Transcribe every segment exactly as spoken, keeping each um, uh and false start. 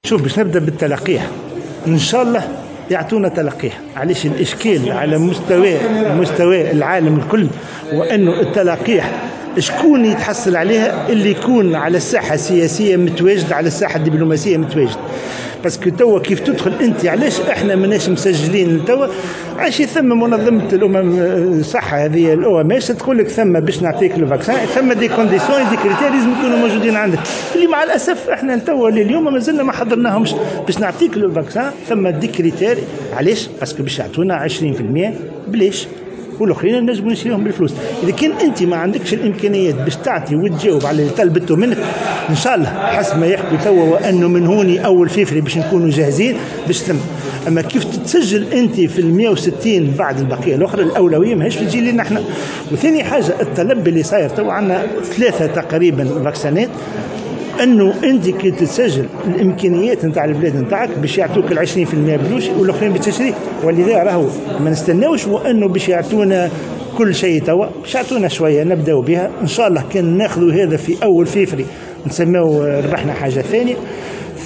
شوف، باش نبدا بالتلقيح، ان شاء الله يعطونا تلقيح. علاش؟ الاشكال على مستوى مستوى العالم الكل وانه التلقيح شكون يتحصل عليها؟ اللي يكون على الساحة السياسية متواجد، على الساحة الدبلوماسية متواجد. parce que توا كيف تدخل انت، علاش احنا ماناش مسجلين توا؟ علاش؟ ثم منظمة الامم الصحة هذه ال OMS تقول لك ثم باش نعطيك le vaccin ثم des conditions، des critères لازم يكونوا موجودين عندك، اللي مع الاسف احنا توا لليوم مازلنا ما حضرناهمش. باش نعطيك le vaccin ثم des critères. علاش؟ parce que باش يعطونا عشرين في المية بلاش والاخرين نجموا نشريهم بالفلوس. اذا كان انت ما عندكش الامكانيات باش تعطي وتجاوب على اللي طلبته منك، ان شاء الله حسب ما يحكوا توا وانه من هوني اول فيفري باش نكونوا جاهزين باش تم. اما كيف تتسجل انت في ال مية وستين بعد البقية الاخرى، الاولوية ماهيش في تجي لنا احنا. وثاني حاجه، الطلب اللي صاير توا عندنا ثلاثة تقريبا vaccin ات، انه انت كي تسجل الامكانيات نتاع البلاد نتاعك باش يعطوك ال عشرين في المية بلوش والاخرين بتشري. ولذا راهو ما نستناوش وانه باش يعطونا كل شيء توا، باش يعطونا شوية نبداو بها. ان شاء الله كان ناخذوا هذا في اول فيفري نسميو ربحنا حاجة ثانيه.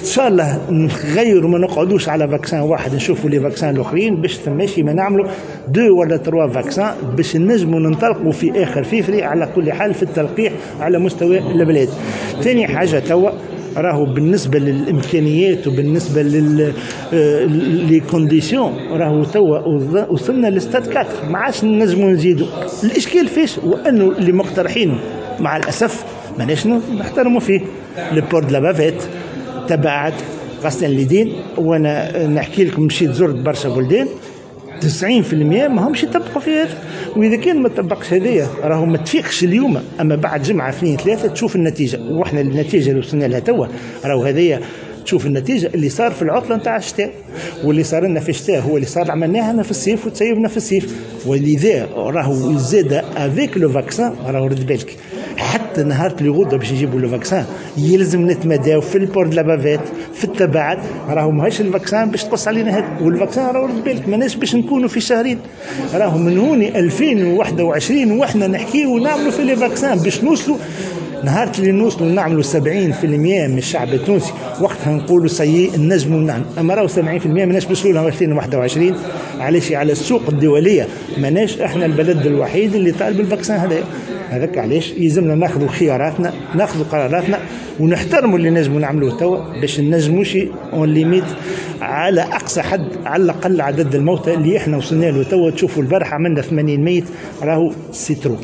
ان شاء الله نغيروا، ما نقعدوش على vaccin واحد، نشوفوا les vaccins الاخرين باش ثماشي ما نعملوا deux ولا trois vaccins باش نجموا ننطلقوا في اخر فيفري على كل حال في التلقيح على مستوى البلاد. ثاني حاجه، توا راهو بالنسبة للامكانيات وبالنسبة لل les conditions راهو توا وصلنا لستاد أربعة، ما عادش نجموا نزيدوا. الاشكال فيش؟ وانه اللي مقترحينه مع الاسف ماناش نحترموا فيه، le port de la bavette، تباعد، غسل اليدين. وانا نحكي لكم، مشيت زرت برشا بلدان، تسعين في المية ما همش يطبقوا في هذا. واذا كان ما طبقش هذايا راهو ما تفيقش اليوم، اما بعد جمعه، اثنين، ثلاثه، تشوف النتيجه. واحنا النتيجة اللي وصلنا لها توا راهو هذايا، تشوف النتيجة اللي صار في العطلة نتاع الشتاء، واللي صار لنا في الشتاء هو اللي صار عملناها لنا في الصيف وتسيبنا في الصيف. ولذا راهو زاد avec le vaccin، راهو رد بالك، حتى نهار اللي غدوه باش نجيبوا le vaccin يلزم نتمداو في ال port de la bavette، في التباعد. راهو ماهيش ال vaccin باش تقص علينا هذا. وال vaccin راهو رد بالك ماناش باش نكونوا في شهرين، راهو من هوني ألفين وواحد وعشرين واحنا نحكيو ونعملوا في les vaccins باش نوصلوا. نهار اللي نوصلوا نعملوا سبعين في المية من الشعب التونسي، وقتها نقولوا ça y est نجموا نعمل. اما راهو سبعين في المية ماناش نوصلوا لها ألفين وواحد وعشرين. علاش؟ على السوق الدولية ماناش احنا البلد الوحيد اللي طالب ال vaccin هذا. هذاك علاش يلزمنا ناخذوا خياراتنا، ناخذوا قراراتنا، ونحترموا اللي نجموا نعملوه توا باش نجموش on limite على اقصى حد على الاقل عدد الموتى اللي احنا وصلنا له توا. تشوفوا البارحة عملنا ثمانين ميت، راهو c'est trop.